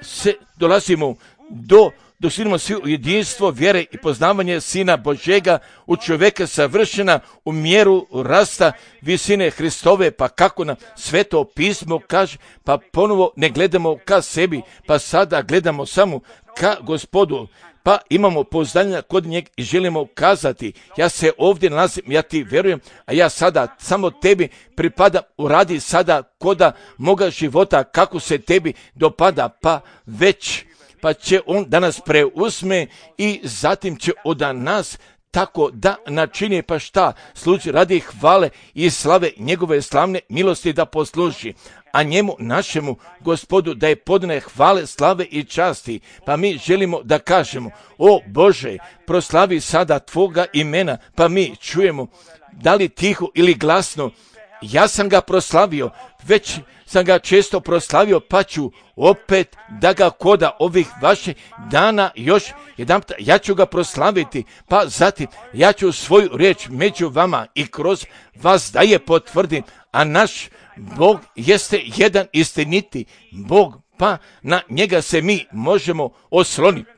se dolazimo do dostignemo svi u jedinstvo vjere i poznavanje Sina Božjega, u čovjeka savršena u mjeru rasta visine Hristove, pa kako nam Sveto pismo kaže, pa ponovo ne gledamo ka sebi, pa sada gledamo samo ka Gospodu, pa imamo pouzdanja kod njeg i želimo kazati, ja se ovdje nalazim, ja ti vjerujem, a ja sada samo tebi pripadam, uradi sada koda moga života kako se tebi dopada, pa već, pa će on danas preuzme i zatim će od nas tako da načini, pa šta služi radi hvale i slave njegove slavne milosti da posluži, a njemu našemu Gospodu da je podne hvale, slave i časti. Pa mi želimo da kažemo, o Bože, proslavi sada tvoga imena, pa mi čujemo, da li tiho ili glasno, ja sam ga proslavio, već sam ga često proslavio, pa ću opet da ga koda ovih vaših dana još jedan, ja ću ga proslaviti, pa zatim ja ću svoju riječ među vama i kroz vas da je potvrdim, a naš Bog jeste jedan istiniti Bog, pa na njega se mi možemo osloniti.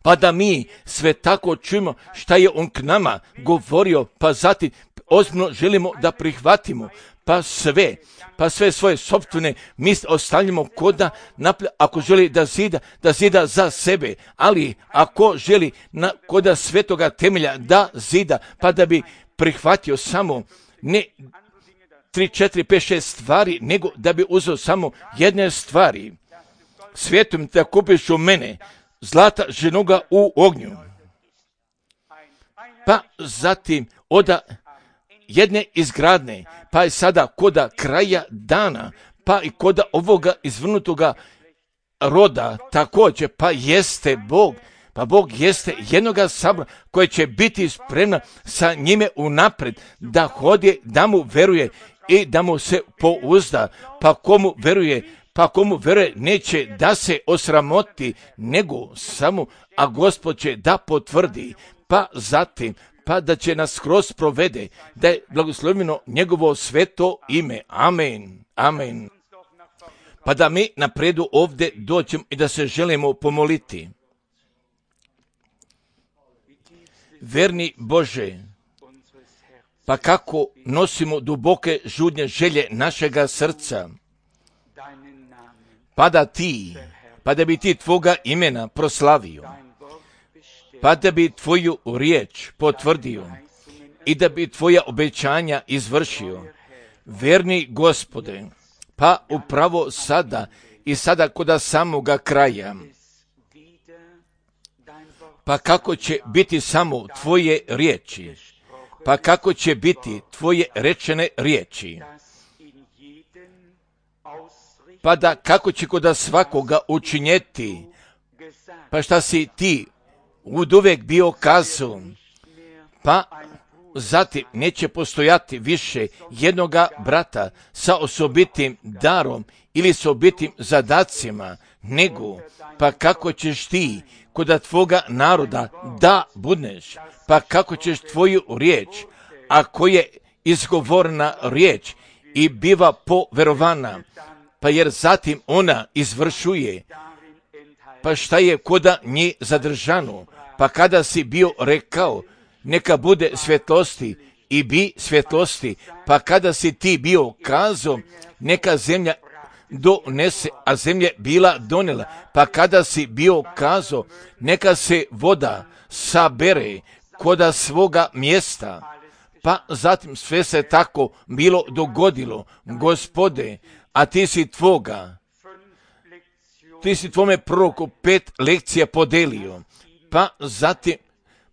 Pa da mi sve tako čujemo šta je on k nama govorio, pa zatim ozbiljno želimo da prihvatimo, pa sve, pa sve svoje sopstvene misli ostavljamo koda, ako želi da zida, da zida za sebe, ali ako želi na, koda svetoga temelja da zida, pa da bi prihvatio samo ne tri, četiri, pet, šest stvari, nego da bi uzeo samo jedne stvari. Svijetom da kupiš u mene zlata ženoga u ognju. Pa zatim oda jedne izgradne, pa je sada koda kraja dana, pa i koda ovoga izvrnutoga roda također, pa jeste Bog, pa Bog jeste jednoga sabora koji će biti spremna sa njime unapred da hodje, da mu veruje i da mu se pouzda, pa komu veruje, pa komu veruje neće da se osramoti, nego samo, a Gospod će da potvrdi, pa zatim, pa da će nas skroz provede, da je blagoslovljeno njegovo sveto ime. Amen. Amen. Pa da mi napredu ovdje dođemo i da se želimo pomoliti. Verni Bože, pa kako nosimo duboke žudnje želje našega srca, pa da ti, pa da bi ti tvoga imena proslavio, pa da bi tvoju riječ potvrdio i da bi tvoja obećanja izvršio. Verni Gospode, pa upravo sada i sada koda samoga kraja, pa kako će biti samo tvoje riječi, pa kako će biti tvoje rečene riječi, pa da kako će koda svakoga učinjeti, pa šta si ti uvijek bio kazao, pa zatim neće postojati više jednoga brata sa osobitim darom ili s osobitim zadacima, nego pa kako ćeš ti koda tvoga naroda da budneš, pa kako ćeš tvoju riječ, ako je izgovorena riječ i biva poverovana, pa jer zatim ona izvršuje, pa šta je koda nje zadržano, pa kada si bio rekao, neka bude svjetlosti i bi svjetlosti, pa kada si ti bio kazao, neka zemlja donese, a zemlja bila donela, pa kada si bio kazao, neka se voda sabere koda svoga mjesta, pa zatim sve se tako bilo dogodilo, Gospode, a ti si tvoga, ti si tvome proroku pet lekcija podelio, pa zatim,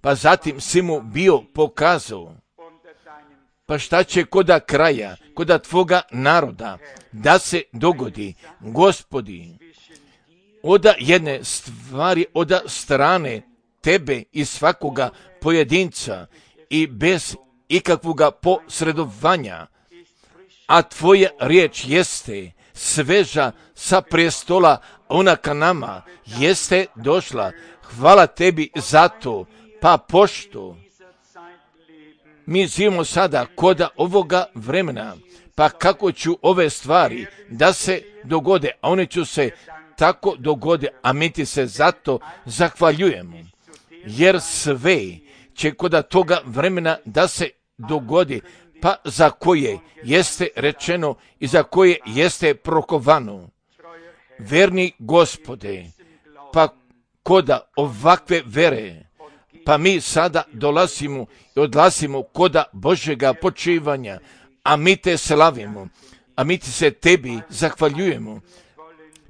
pa zatim si mu bio pokazao, pa šta će koda kraja, koda tvoga naroda, da se dogodi, Gospodi, oda jedne stvari, oda strane tebe i svakoga pojedinca i bez ikakvoga posredovanja, a tvoja riječ jeste sveža sa prestola, ona ka nama jeste došla. Hvala tebi za to, pa pošto mi živimo sada koda ovoga vremena, pa kako ću ove stvari da se dogode, a one ću se tako dogode, a mi ti se zato zahvaljujemo, jer sve će koda toga vremena da se dogodi, pa za koje jeste rečeno i za koje jeste prokovano. Verni Gospode, pa koda ovakve vere, pa mi sada dolazimo i odlazimo koda Božjega počivanja, a mi te slavimo, a mi ti se tebi zahvaljujemo,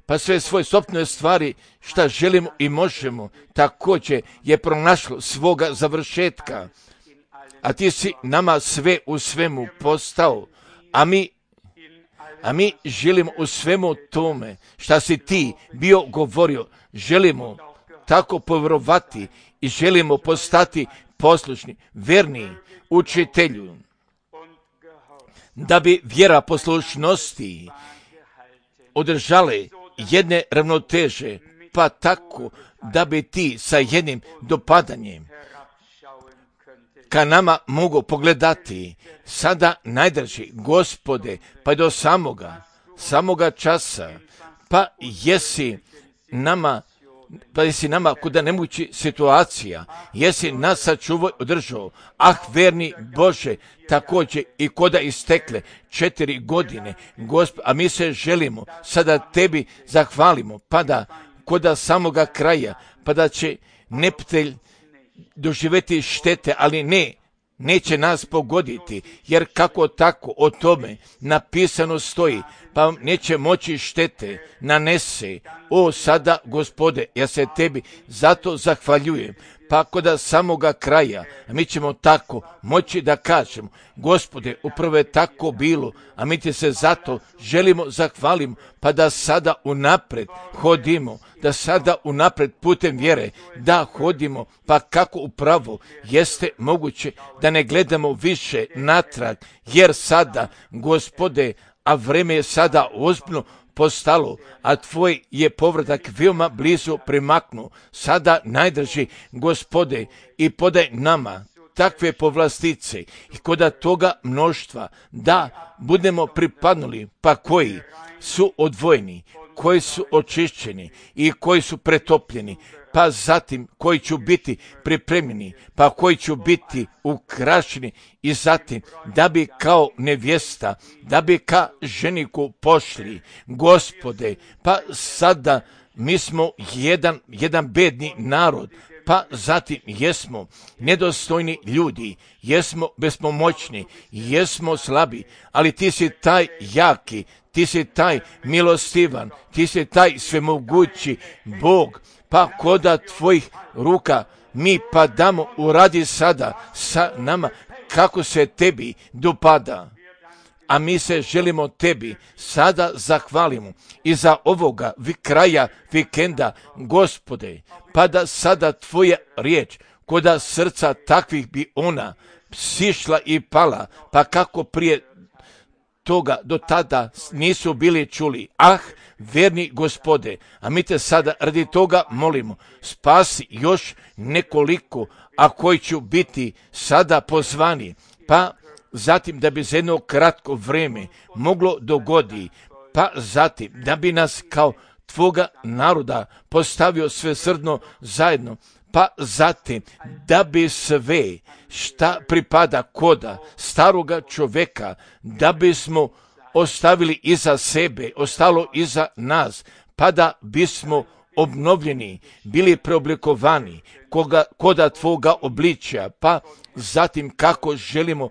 pa sve svoje sopstvene stvari šta želimo i možemo, također je pronašlo svoga završetka, a ti si nama sve u svemu postao, a mi A mi želimo u svemu tome šta si ti bio govorio, želimo tako povjerovati i želimo postati poslušni, verni učitelju, da bi vjera poslušnosti održale jedne ravnoteže, pa tako da bi ti sa jednim dopadanjem ka nama mogu pogledati sada najdrži Gospode, pa do samoga, samoga časa, pa jesi nama, pa jesi nama kuda nemogući situacija, jesi nas sačuvao održao, ah verni Bože, također i koda istekle četiri godine, Gospod, a mi se želimo sada tebi zahvalimo, pa da koda samoga kraja, pa da će neprijatelj doživjeti štete, ali ne, neće nas pogoditi, jer kako tako o tome napisano stoji, pa neće moći štete nanese. O sada, Gospode, ja se tebi zato zahvaljujem, pa koda samoga kraja, a mi ćemo tako moći da kažemo, Gospode, upravo je tako bilo, a mi ti se zato želimo zahvalimo, pa da sada unapred hodimo, da sada unapred putem vjere, da hodimo, pa kako upravo jeste moguće da ne gledamo više natrag, jer sada, Gospode, a vreme je sada ozbiljno postalo, a tvoj je povratak veoma blizu primaknuo. Sada najdrži, Gospode, i podaj nama takve povlastice i koda toga mnoštva da budemo pripadnuli, pa koji su odvojeni, koji su očišćeni i koji su pretopljeni, pa zatim koji će biti pripremljeni, pa koji će biti ukrašeni i zatim da bi kao nevjesta, da bi ka ženiku pošli. Gospode, pa sada mi smo jedan, jedan bedni narod, pa zatim jesmo nedostojni ljudi, jesmo bespomoćni, jesmo slabi, ali ti si taj jaki, ti si taj milostivan, ti si taj svemogući Bog, pa koda tvojih ruka mi padamo, uradi sada sa nama kako se tebi dopada. A mi se želimo tebi sada zahvalimo i za ovoga vi kraja vikenda, Gospode, pa da sada tvoja riječ koda srca takvih bi ona sišla i pala, pa kako prije toga do tada nisu bili čuli. Ah, verni Gospode, a mi te sada radi toga molimo, spasi još nekoliko, a koji će biti sada pozvani, pa zatim da bi za jedno kratko vrijeme moglo dogodi, pa zatim da bi nas kao tvoga naroda postavio svesrdno zajedno, pa zatim da bi sve šta pripada koda staroga čovjeka, da bismo ostavili iza sebe, ostalo iza nas, pa da bismo obnovljeni, bili preoblikovani koga, koda tvoga obličja, pa zatim kako želimo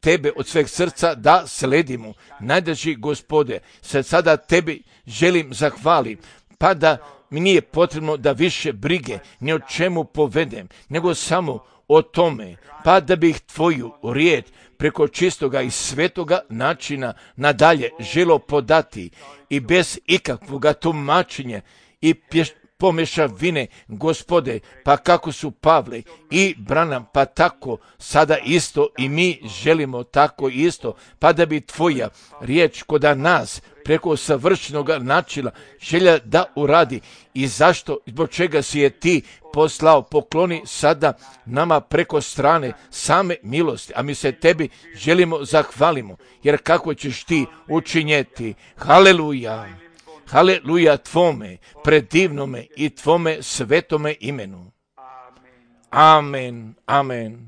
tebe od sveg srca da sledimo. Najdraži Gospode, se sada tebi želim zahvaliti, pa da mi nije potrebno da više brige ni o čemu povedem, nego samo o tome, pa da bih tvoju riječ preko čistoga i svetoga načina nadalje želo podati i bez ikakvoga tumačenja i pješ, pomešavine, Gospode, pa kako su Pavle i Branham, pa tako sada isto i mi želimo tako isto, pa da bi tvoja riječ koda nas preko savršenog načina želja da uradi i zašto, zbog čega si je ti poslao, pokloni sada nama preko strane same milosti, a mi se tebi želimo zahvalimo, jer kako ćeš ti učinjeti. Haleluja! Haleluja tvome, predivnome i tvome svetome imenu. Amen, amen.